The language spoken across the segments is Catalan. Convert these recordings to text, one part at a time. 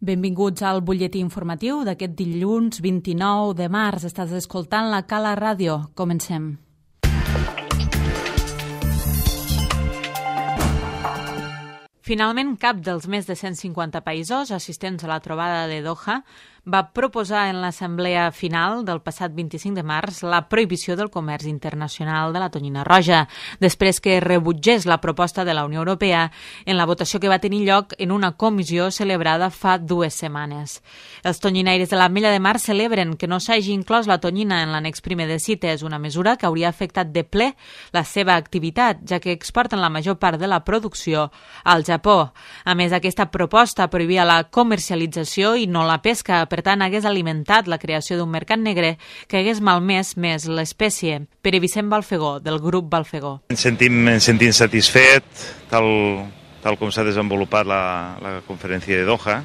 Benvinguts al butlletí informatiu d'aquest dilluns 29 de març. Estàs escoltant la Cala Ràdio. Comencem. Finalment, cap dels més de 150 països assistents a la trobada de Doha va proposar en l'assemblea final del passat 25 de març la prohibició del comerç internacional de la tonyina roja, després que rebutgés la proposta de la Unió Europea en la votació que va tenir lloc en una comissió celebrada fa 2 setmanes. Els tonyinaires de l'Ametlla de Mar celebren que no s'hagi inclòs la tonyina en l'annex primer de CITES, una mesura que hauria afectat de ple la seva activitat, ja que exporten la major part de la producció al Japó. A més, aquesta proposta prohibia la comercialització i no la pesca, per tant, hagués alimentat la creació d'un mercat negre que hagués malmès més l'espècie. Pere Vicent Balfegó, del grup Balfegó. Ens sentim satisfet, tal com s'ha desenvolupat la conferència de Doha,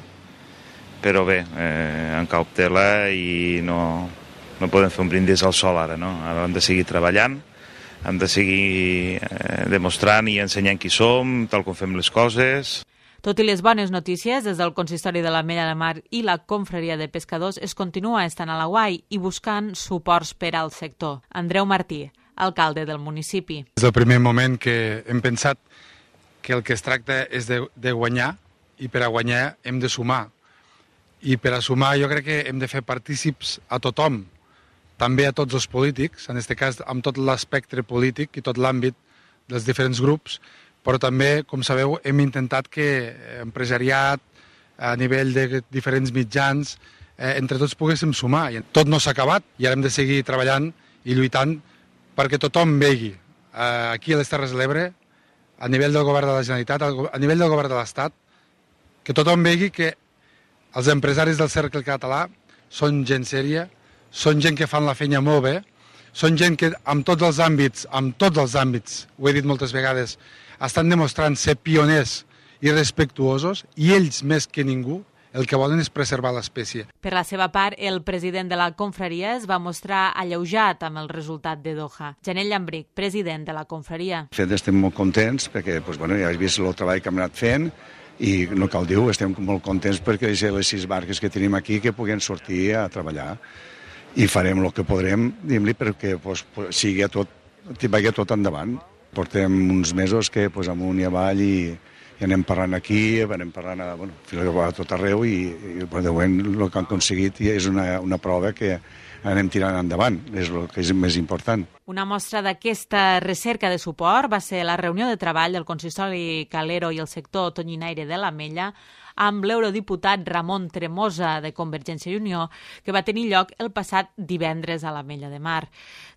però bé, en cautela i no podem fer un brindis al sol ara, no? Ara hem de seguir treballant, hem de seguir demostrant i ensenyant qui som, tal com fem les coses. Tot i les bones notícies, des del Consistori de l'Ametlla de Mar i la Confraria de Pescadors es continua estant a l'aguait i buscant suports per al sector. Andreu Martí, alcalde del municipi. Des del primer moment que hem pensat que el que es tracta és de guanyar, i per a guanyar hem de sumar. I per a sumar jo crec que hem de fer partícips a tothom, també a tots els polítics, en aquest cas amb tot l'espectre polític i tot l'àmbit dels diferents grups, però també, com sabeu, hem intentat que empresariat, a nivell de diferents mitjans, entre tots poguéssim sumar. Tot no s'ha acabat i ara hem de seguir treballant i lluitant perquè tothom vegi aquí a les Terres de l'Ebre, a nivell del govern de la Generalitat, a nivell del govern de l'Estat, que tothom vegi que els empresaris del cercle català són gent sèria, són gent que fan la feina molt bé, són gent que en tots els àmbits, ho he dit moltes vegades, estan demostrant ser pioners i respectuosos, i ells més que ningú el que volen és preservar l'espècie. Per la seva part, el president de la confraria es va mostrar alleujat amb el resultat de Doha. Janel Llambric, president de la confraria. De fet, estem molt contents perquè ja has vist el treball que hem anat fent i no cal dir-ho, estem molt contents perquè les 6 barques que tenim aquí que puguen sortir a treballar i farem el que podrem, diguem-li, perquè vagi tot endavant. Portem uns mesos que amunt i avall i anem parlant aquí, anem parlant a tot arreu i de moment el que han aconseguit és una prova que anem tirant endavant, és el que és més important. Una mostra d'aquesta recerca de suport va ser la reunió de treball del Consistori Calero i el sector tonyinaire de l'Ametlla amb l'eurodiputat Ramon Tremosa de Convergència i Unió, que va tenir lloc el passat divendres a l'Ametlla de Mar.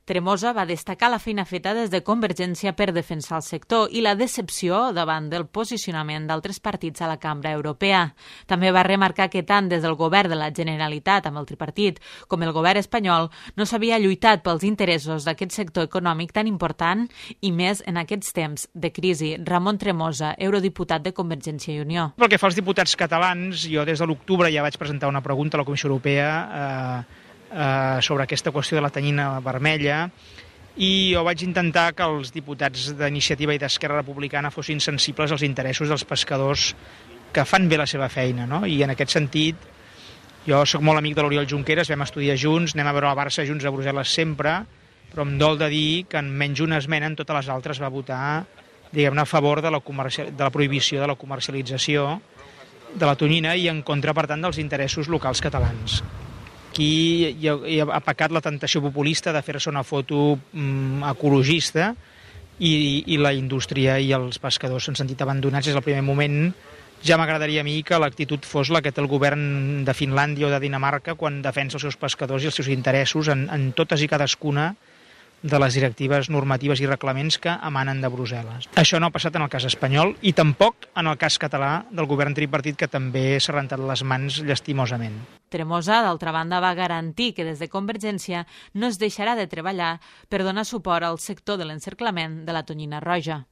Tremosa va destacar la feina feta des de Convergència per defensar el sector i la decepció davant del posicionament d'altres partits a la Cambra Europea. També va remarcar que tant des del govern de la Generalitat amb el tripartit com el govern espanyol no s'havia lluitat pels interessos d'aquest sector econòmic tan important i més en aquests temps de crisi. Ramon Tremosa, eurodiputat de Convergència i Unió. Pel que fa als diputats catalans, jo des de l'octubre ja vaig presentar una pregunta a la Comissió Europea sobre aquesta qüestió de la tonyina vermella i jo vaig intentar que els diputats d'Iniciativa i d'Esquerra Republicana fossin sensibles als interessos dels pescadors que fan bé la seva feina, no? I en aquest sentit, jo sóc molt amic de l'Oriol Junqueras, vam estudiar junts, anem a veure el Barça junts a Brussel·les sempre, però em dol de dir que en menys una esmena en totes les altres va votar, diguem-ne, a favor de la prohibició de la comercialització de la tonyina i en contra, per tant, dels interessos locals catalans. Aquí ha pecat la tentació populista de fer-se una foto ecologista i la indústria i els pescadors s'han sentit abandonats des del primer moment. Ja m'agradaria a mi que l'actitud fos la que té el govern de Finlàndia o de Dinamarca quan defensa els seus pescadors i els seus interessos en totes i cadascuna de les directives normatives i reglaments que emanen de Brussel·les. Això no ha passat en el cas espanyol i tampoc en el cas català del govern tripartit, que també s'ha rentat les mans llastimosament. Tremosa, d'altra banda, va garantir que des de Convergència no es deixarà de treballar per donar suport al sector de l'encerclament de la tonyina roja.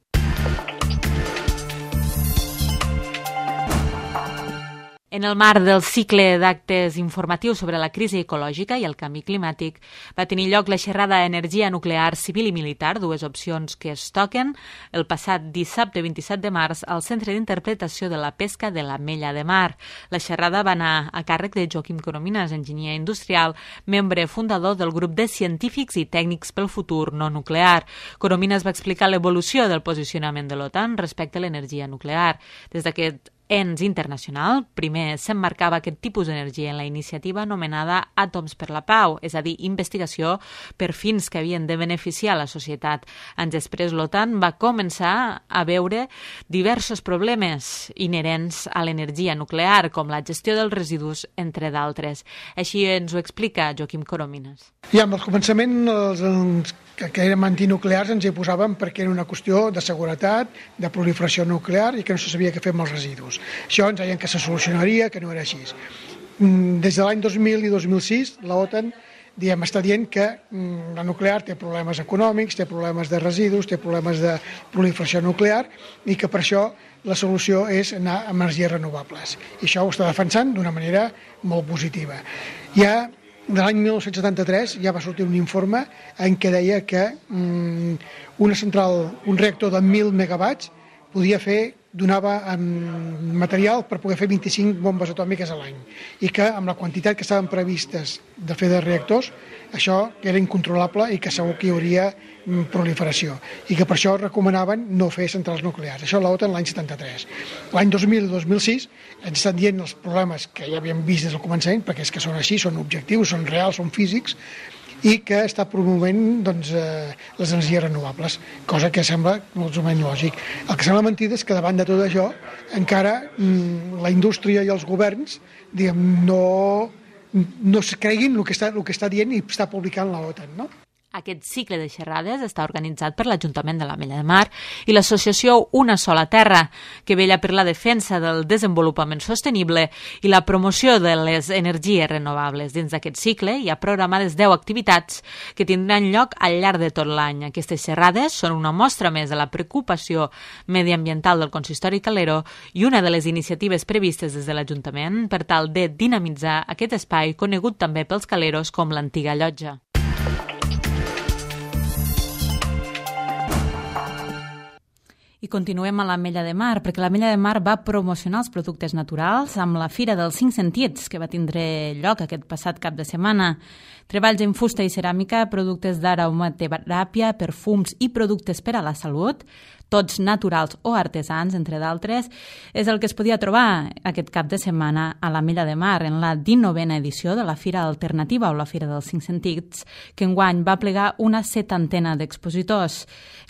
En el marc del cicle d'actes informatius sobre la crisi ecològica i el canvi climàtic va tenir lloc la xerrada Energia nuclear civil i militar, dues opcions que es toquen, el passat dissabte 27 de març al Centre d'Interpretació de la Pesca de l'Ametlla de Mar. La xerrada va anar a càrrec de Joaquim Coromines, enginyer industrial, membre fundador del grup de científics i tècnics pel futur no nuclear. Coromines va explicar l'evolució del posicionament de l'OTAN respecte a l'energia nuclear. Des d'aquest ens internacional, primer s'emmarcava aquest tipus d'energia en la iniciativa anomenada Àtoms per la Pau, és a dir, investigació per fins que havien de beneficiar la societat. Anys després, l'OTAN va començar a veure diversos problemes inherents a l'energia nuclear, com la gestió dels residus, entre d'altres. Així ens ho explica Joaquim Coromines. Ja, amb el començament, els que eren antinuclears ens hi posàvem perquè era una qüestió de seguretat, de proliferació nuclear i que no se sabia què fer amb els residus. Això ens deien que se solucionaria, que no era així. Des de l'any 2000 i 2006, l'OTAN està dient que la nuclear té problemes econòmics, té problemes de residus, té problemes de proliferació nuclear i que per això la solució és anar amb energies renovables. I això ho està defensant d'una manera molt positiva. Ja de l'any 1973 ja va sortir un informe en què deia que una central, un reactor de 1.000 megawatts donava material per poder fer 25 bombes atòmiques a l'any i que amb la quantitat que estaven previstes de fer de reactors això era incontrolable i que segur que hi hauria proliferació i que per això recomanaven no fer centrals nuclears. Això l'OTAN l'any 73. L'any 2000 i 2006 ens estan dient els problemes que ja havíem vist des del començament, perquè és que són així, són objectius, són reals, són físics, i que està promovent les energies renovables, cosa que sembla molt o menys lògic. El que sembla mentida és que davant de tot això encara la indústria i els governs no es creguin el que està dient i està publicant l'OTAN, no? Aquest cicle de xerrades està organitzat per l'Ajuntament de l'Ametlla de Mar i l'associació Una Sola Terra, que vetlla per la defensa del desenvolupament sostenible i la promoció de les energies renovables. Dins d'aquest cicle hi ha programades 10 activitats que tindran lloc al llarg de tot l'any. Aquestes xerrades són una mostra més de la preocupació mediambiental del consistori calero i una de les iniciatives previstes des de l'Ajuntament per tal de dinamitzar aquest espai conegut també pels caleros com l'antiga llotja. I continuem a l'Ametlla de Mar, perquè l'Ametlla de Mar va promocionar els productes naturals amb la Fira dels 5 Sentits, que va tindre lloc aquest passat cap de setmana. Treballs en fusta i ceràmica, productes d'aromateràpia, perfums i productes per a la salut, tots naturals o artesans, entre d'altres, és el que es podia trobar aquest cap de setmana a l'Ametlla de Mar, en la 19a edició de la Fira Alternativa o la Fira dels 5 Sentits, que enguany va plegar una 70ena d'expositors.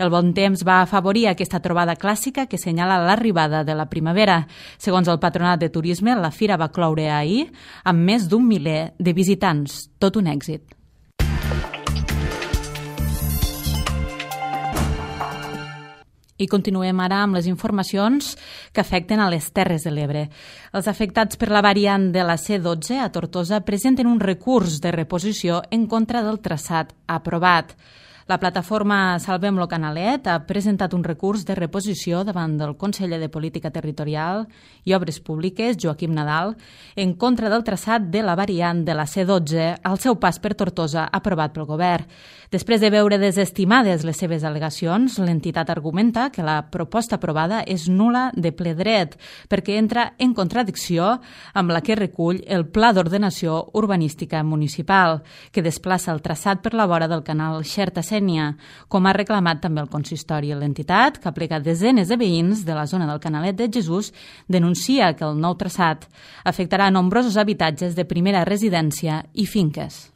El bon temps va afavorir aquesta trobada clàssica que senyala l'arribada de la primavera. Segons el Patronat de Turisme, la fira va cloure ahir amb més d'1 miler de visitants. Tot un èxit. I continuem ara amb les informacions que afecten a les Terres de l'Ebre. Els afectats per la variant de la C12 a Tortosa presenten un recurs de reposició en contra del traçat aprovat. La plataforma Salvem lo Canalet ha presentat un recurs de reposició davant del conseller de Política Territorial i Obres Públiques, Joaquim Nadal, en contra del traçat de la variant de la C12 al seu pas per Tortosa aprovat pel govern. Després de veure desestimades les seves al·legacions, l'entitat argumenta que la proposta aprovada és nul·la de ple dret perquè entra en contradicció amb la que recull el Pla d'Ordenació Urbanística Municipal, que desplaça el traçat per la vora del canal Xerta-Sénia, com ha reclamat també el consistori. L'entitat, que ha plegat desenes de veïns de la zona del Canalet de Jesús, denuncia que el nou traçat afectarà nombrosos habitatges de primera residència i finques.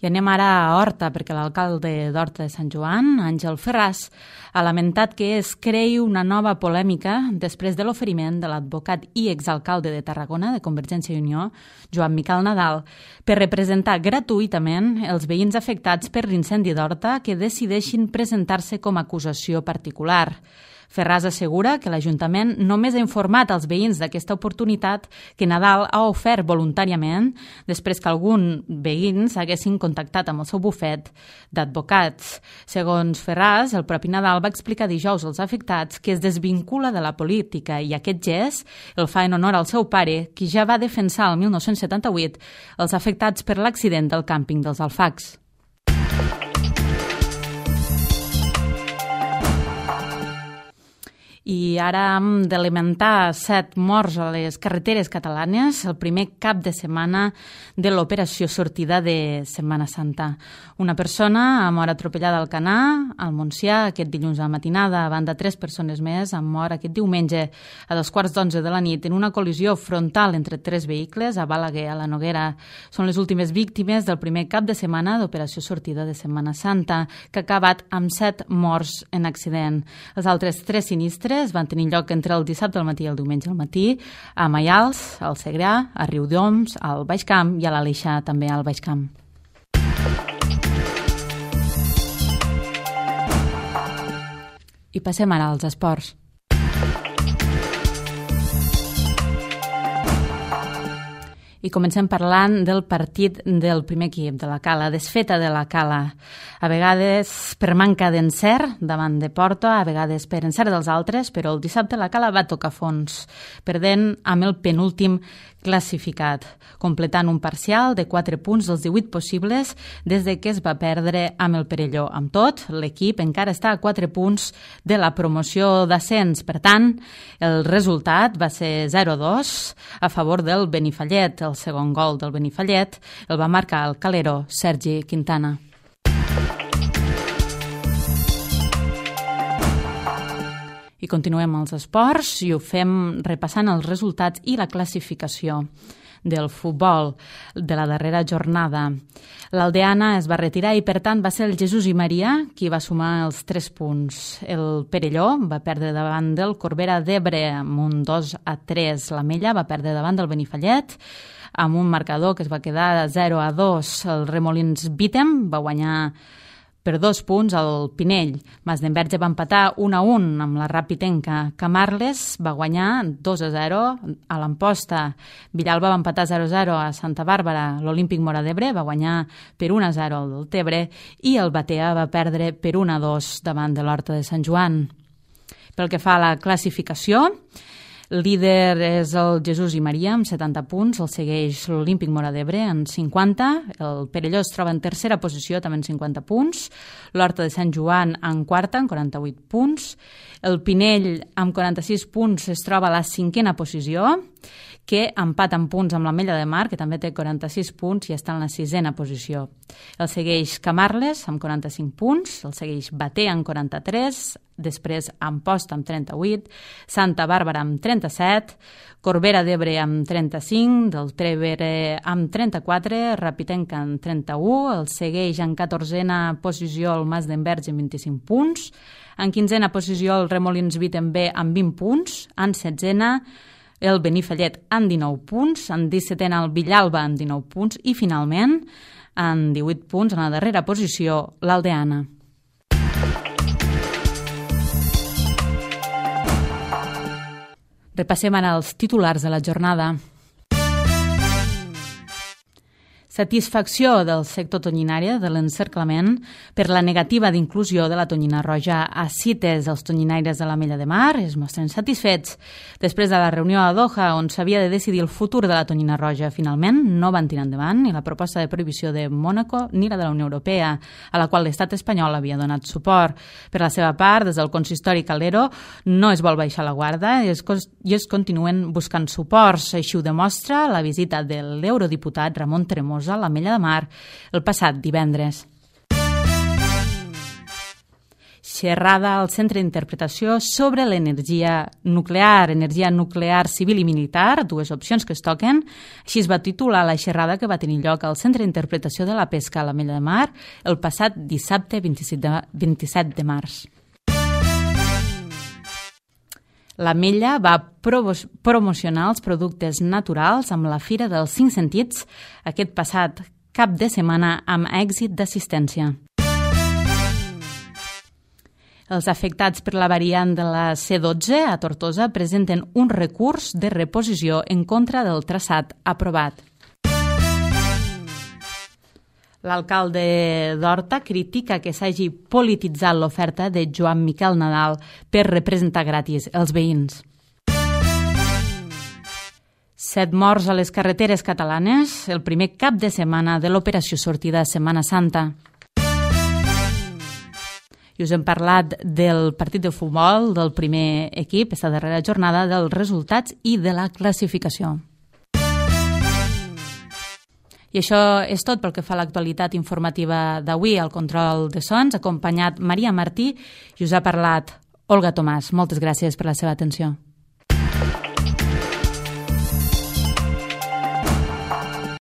I anem ara a Horta, perquè l'alcalde d'Horta de Sant Joan, Àngel Ferràs, ha lamentat que es creï una nova polèmica després de l'oferiment de l'advocat i exalcalde de Tarragona, de Convergència i Unió, Joan Miquel Nadal, per representar gratuïtament els veïns afectats per l'incendi d'Horta que decideixin presentar-se com a acusació particular. Ferraz assegura que l'Ajuntament només ha informat els veïns d'aquesta oportunitat que Nadal ha ofert voluntàriament després que alguns veïns haguessin contactat amb el seu bufet d'advocats. Segons Ferraz, el propi Nadal va explicar dijous als afectats que es desvincula de la política i aquest gest el fa en honor al seu pare, qui ja va defensar el 1978 els afectats per l'accident del càmping dels Alfacs. I ara hem de lamentar 7 morts a les carreteres catalanes, el primer cap de setmana de l'operació sortida de Setmana Santa. Una persona ha mort atropellada al Canà, al Montsià, aquest dilluns a la matinada. A banda, 3 persones més han mort aquest diumenge a 11:15 de la nit en una col·lisió frontal entre 3 vehicles a Balaguer, a la Noguera. Són les últimes víctimes del primer cap de setmana d'operació sortida de Setmana Santa, que ha acabat amb 7 morts en accident. Els altres 3 sinistres van tenir lloc entre el dissabte al matí i el diumenge al matí a Maials, al Segrià, a Riudoms, al Baix Camp i a l'Aleixar, també al Baix Camp. I passem ara als esports. I comencem parlant del partit del primer equip, de la Cala, desfeta de la Cala. A vegades per manca d'encert davant de porta, a vegades per encert dels altres, però el dissabte la Cala va tocar fons, perdent amb el penúltim classificat, completant un parcial de 4 punts dels 18 possibles des de que es va perdre amb el Perelló. Amb tot, l'equip encara està a 4 punts de la promoció d'ascens. Per tant, el resultat va ser 0-2 a favor del Benifallet. El segon gol del Benifallet el va marcar el calero Sergi Quintana. I continuem els esports i ho fem repassant els resultats i la classificació del futbol de la darrera jornada. L'Aldeana es va retirar i, per tant, va ser el Jesús i Maria qui va sumar els 3 punts. El Perelló va perdre davant del Corbera d'Ebre amb un 2-3. La Mella va perdre davant del Benifallet amb un marcador que es va quedar 0-2. El Remolins Bítem va guanyar per 2 punts al Pinell. Masdenverge va empatar 1-1 amb la Rapitenca. Camarles va guanyar 2-0 a l'Amposta. Villalba va empatar 0-0 a Santa Bàrbara. L'Olímpic Móra d'Ebre va guanyar per 1-0 al Deltebre i el Batea va perdre per 1-2 davant de l'Horta de Sant Joan. Pel que fa a la classificació, líder és el Jesús i Maria amb 70 punts, el segueix l'Olímpic Móra d'Ebre amb 50, el Perelló es troba en tercera posició també amb 50 punts, l'Horta de Sant Joan en quarta amb 48 punts, el Pinell amb 46 punts es troba a la 5a posició, que empata en punts amb l'Ametlla de Mar, que també té 46 punts i està en la 6a posició. El segueix Camarles amb 45 punts, el segueix Bater amb 43, després Amposta amb 38, Santa Bàrbara amb 37, Corbera d'Ebre amb 35, del Trevere amb 34, Rapitenca amb 31, el segueix en 14a posició el Masdenverge amb 25 punts, en 15a posició el Remolins Bítem B amb 20 punts, en 16a el Benifallet amb 19 punts, en 17a el Villalba amb 19 punts i finalment en 18 punts en la darrera posició l'Aldeana. Repassem ara els titulars de la jornada. Satisfacció del sector tonyinària de l'encerclament per la negativa d'inclusió de la tonyina roja a CITES. Els tonyinaires de l'Ametlla de Mar es mostren satisfets. Després de la reunió a Doha, on s'havia de decidir el futur de la tonyina roja, finalment no van tirar endavant ni la proposta de prohibició de Mònaco ni la de la Unió Europea, a la qual l'estat espanyol havia donat suport. Per la seva part, des del consistori Calero no es vol baixar la guarda i es continuen buscant suports. Així ho demostra la visita de l'eurodiputat Ramon Tremosa a l'Ametlla de Mar el passat divendres. Xerrada al Centre d'Interpretació sobre l'energia nuclear civil i militar, 2 opcions que es toquen. Així es va titular la xerrada que va tenir lloc al Centre d'Interpretació de la Pesca a l'Ametlla de Mar el passat dissabte 27 de març. L'Ametlla va promocionar els productes naturals amb la Fira dels 5 Sentits aquest passat cap de setmana amb èxit d'assistència. Els afectats per la variant de la C12 a Tortosa presenten un recurs de reposició en contra del traçat aprovat. L'alcalde d'Horta critica que s'hagi polititzat l'oferta de Joan Miquel Nadal per representar gratis els veïns. 7 morts a les carreteres catalanes, el primer cap de setmana de l'operació sortida Setmana Santa. I us hem parlat del partit de futbol del primer equip, aquesta darrera jornada, dels resultats i de la classificació. I això és tot pel que fa a l'actualitat informativa d'avui. Al control de sons, acompanyat Maria Martí, i us ha parlat Olga Tomàs. Moltes gràcies per la seva atenció.